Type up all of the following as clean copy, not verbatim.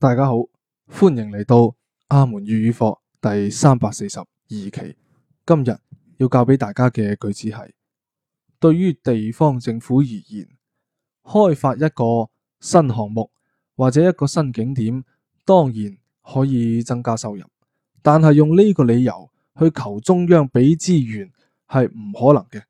大家好，歡迎嚟到阿門粵語課第342期。今日要教俾大家嘅句子係：對於地方政府而言，開發一個新項目或者一個新景點，當然可以增加收入，但係用呢個理由去求中央俾資源係唔可能嘅。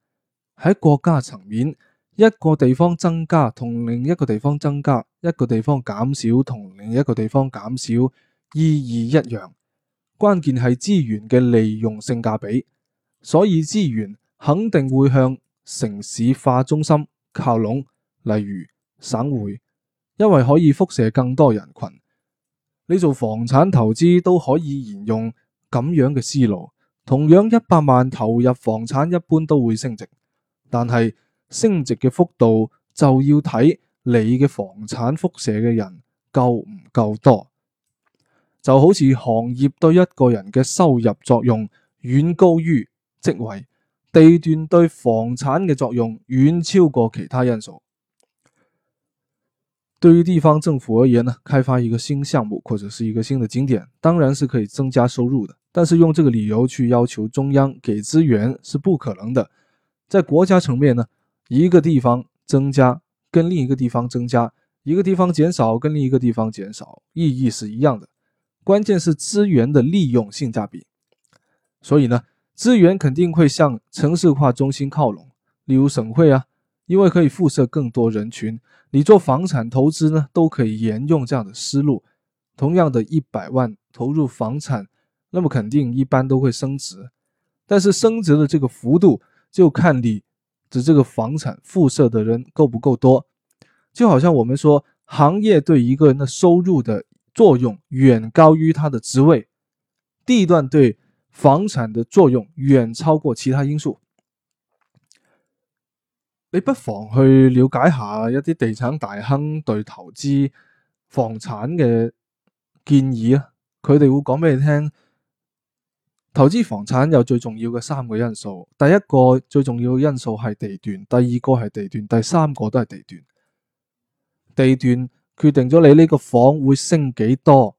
喺國家層面，一個地方增加同另一個地方增加，一個地方減少同另一個地方減少，意義一樣。關鍵係資源嘅利用性價比，所以資源肯定會向城市化中心靠攏，例如省會，因為可以輻射更多人群。你做房產投資都可以沿用咁樣嘅思路，同樣100萬投入房產一般都會升值，但係升值嘅幅度就要睇你嘅房產輻射嘅人夠唔夠多。就好似行業對一個人嘅收入作用遠高於職位，地段對房產嘅作用遠超過其他因素。對於地方政府而言呢，開發一個新項目或者是一個新的景點，當然是可以增加收入的，但是用這個理由去要求中央給資源是不可能的。在國家層面呢，一個地方增加跟另一個地方增加，一個地方減少跟另一個地方減少，意義是一樣的，關鍵是資源的利用性價比。所以呢，資源肯定會向城市化中心靠攏，例如省會啊，因為可以輻射更多人群。你做房產投資呢，都可以沿用這樣的思路。同樣的100萬投入房產，那麼肯定一般都會升值，但是升值的這個幅度就看你的這個房產輻射的人夠不夠多。就好像我們說，行業對一個人的收入的作用遠高於他的職位，地段對房產的作用遠超過其他因素。你不妨去了解下一啲地產大亨對投資房產嘅建議啊，佢哋會講俾你聽，投資房產有最重要嘅3個因素。第一個最重要嘅因素係地段，第二個係地段，第三個都係地段。地段決定咗你呢個房會升幾多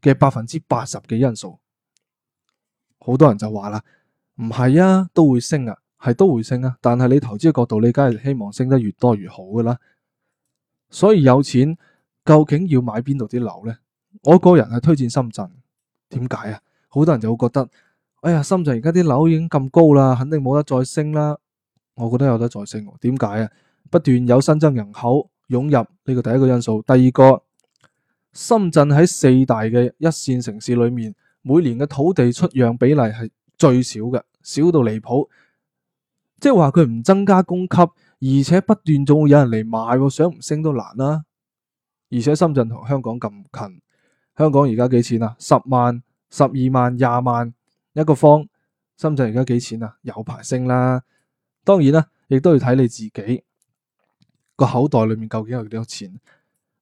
嘅80%嘅因素。好多人就話啦，唔係啊，都會升啊，係都會升啊，但係你投資嘅角度，你梗係希望升得越多越好噶啦。所以有錢究竟要買邊度啲樓呢？我個人係推薦深圳。點解啊？好多人就會覺得，哎呀，深圳而家啲樓已經咁高啦，肯定冇得再升啦。我覺得有得再升。點解啊？不斷有新增人口湧入，呢個第一個因素。第二個，深圳喺4大嘅一線城市裏面，每年嘅土地出讓比例係最少嘅，少到離譜。即係話佢唔增加供給，而且不斷仲會有人嚟買，想唔升都難啦。而且深圳同香港咁近，香港而家幾錢啊？10萬、12萬、20萬一個方，深圳而家幾錢啊？有排升啦。當然啦，亦都要睇你自己個口袋裏面究竟有幾多錢。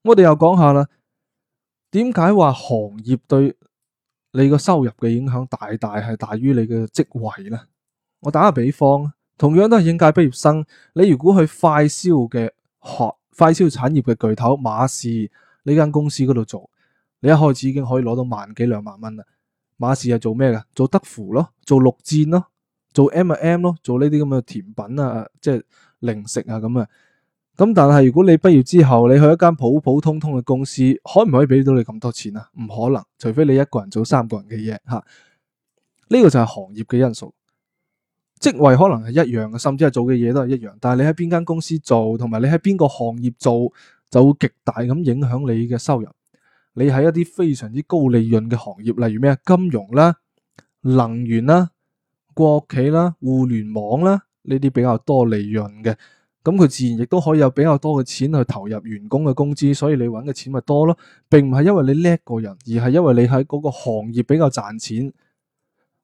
我哋又講下啦，點解話行業對你個收入嘅影響係大於你嘅職位呢？我打個比方，同樣都係應屆畢業生，你如果去快銷產業嘅巨頭馬氏呢間公司嗰度做，你一開始已經可以攞到1萬幾2萬蚊啦。馬氏係做咩嘅？做德芙咯，做綠箭咯，做 M&M 咯，做呢啲咁嘅甜品啊，即係零食啊咁啊。咁但係如果你畢業之後，你去一間普普通通嘅公司，可唔可以俾到你咁多錢啊？唔可能，除非你一個人做3個人嘅嘢吓。呢個就係行業嘅因素。職位可能係一樣嘅，甚至係做嘅嘢都係一樣，但係你喺邊間公司做，同埋你喺邊個行業做，就會極大咁影響你嘅收入。你喺一啲非常之高利潤嘅行業，例如咩金融啦、能源啦、國企啦、互聯網啦，呢啲比較多利潤嘅，咁佢自然亦都可以有比較多嘅錢去投入員工嘅工資，所以你揾嘅錢咪多咯，並唔係因為你叻個人，而係因為你喺嗰個行業比較賺錢。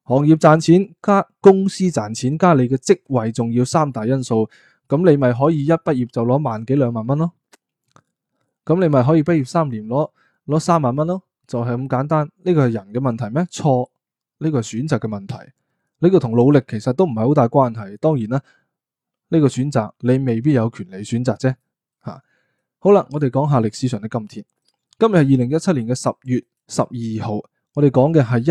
行業賺錢加公司賺錢加你嘅職位重要3大因素，咁你咪可以一畢業就攞1萬幾2萬蚊咯。咁你咪可以畢業3年攞3萬蚊咯，就係咁簡單。呢個係人嘅問題咩？錯，呢個係選擇嘅問題。呢個同努力其實都唔係好大關係。當然啦，呢個選擇你未必有權利選擇啫。好啦，我哋講下歷史上的今天。今日係2017年嘅10月12號，我哋講嘅係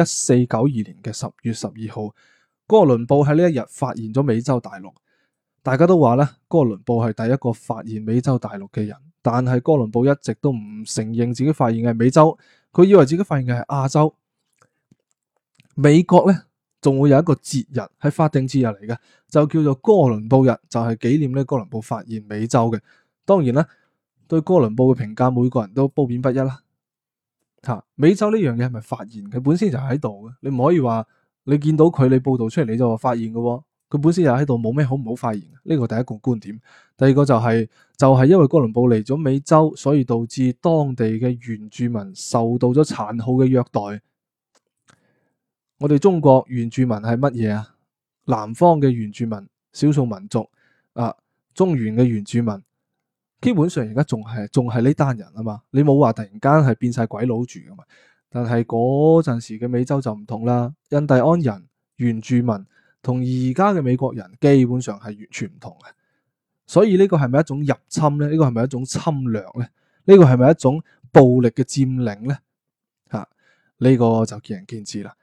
1492年嘅10月12號。哥倫布喺呢一日發現咗美洲大陸。大家都話咧，哥倫布係第一個發現美洲大陸嘅人，但係哥倫布一直都唔承認自己發現嘅係美洲，佢以為自己發現嘅係亞洲。美國咧仲會有一個節日，係法定節日嚟嘅，就叫做哥倫布日，就係紀念咧哥倫布發現美洲嘅。當然啦，對哥倫布嘅評價，每個人都褒貶不一啦。美洲呢樣嘢係咪發現？佢本身就喺度嘅，你唔可以話你見到佢，你報道出嚟你就話發現嘅。佢本身就喺度，冇咩好唔好發現。呢個第一個觀點。第二個就係因為哥倫布嚟咗美洲，所以導致當地嘅原住民受到咗殘酷嘅虐待。我哋中國原住民係乜嘢啊？南方嘅原住民、少數民族啊，中原嘅原住民，基本上而家仲係呢單人啊嘛。你冇話突然間係變晒鬼佬住噶嘛。但係嗰陣時嘅美洲就唔同啦，印第安人、原住民同而家嘅美國人基本上係完全唔同嘅。所以呢個係咪一種入侵呢？呢個係咪一種侵略呢？呢個係咪一種暴力嘅佔領呢？呢個就見仁見智啦。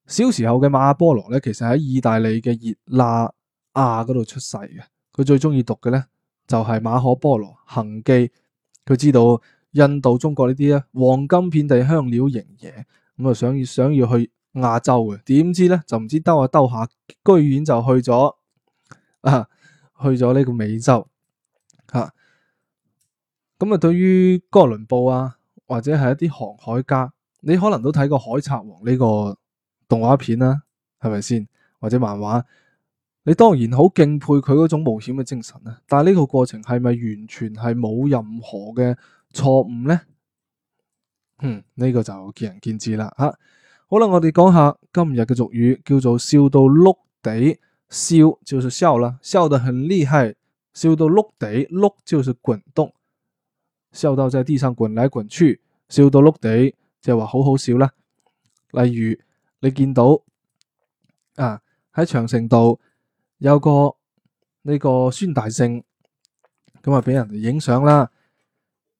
小時候嘅馬波羅咧，其實喺意大利嘅熱那亞嗰度出世嘅。佢最中意讀嘅咧就係馬可波羅行記。佢知道印度、中國呢啲咧黃金遍地、香料營野，咁啊想要去亞洲嘅，點知咧就唔知兜下兜下，居然就去咗呢個美洲吓。咁啊，對於哥倫布啊，或者係一啲航海家，你可能都睇過《海賊王》呢個動畫片啦，係咪先？或者漫畫，你當然好敬佩佢嗰種冒險嘅精神啦。但係呢個過程係咪完全係冇任何嘅錯誤呢？呢個就見仁見智啦吓。好啦，我哋講下今日嘅俗語，叫做笑到碌地。笑就是笑啦，笑得很厲害，笑到碌地，碌就是滾動，笑到在地上滾來滾去，笑到碌地就係話好好笑啦。例如你見到喺長城度有個呢個孫大聖，咁啊俾人哋影相啦，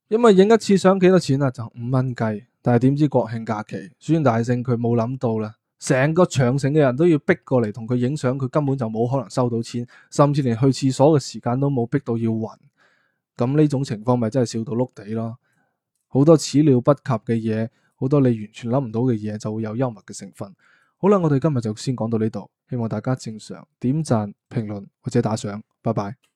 因為影一次相幾多錢啊？就5蚊雞。但係點知國慶假期，孫大聖佢冇諗到啦，成個長城嘅人都要逼過嚟同佢影相，佢根本就冇可能收到錢，甚至連去廁所嘅時間都冇，逼到要暈。咁呢種情況咪真係笑到碌地咯。好多始料不及嘅嘢，好多你完全諗唔到嘅嘢，就會有幽默嘅成分。好啦，我哋今日就先講到呢度，希望大家正常點讚、評論或者打賞，拜拜。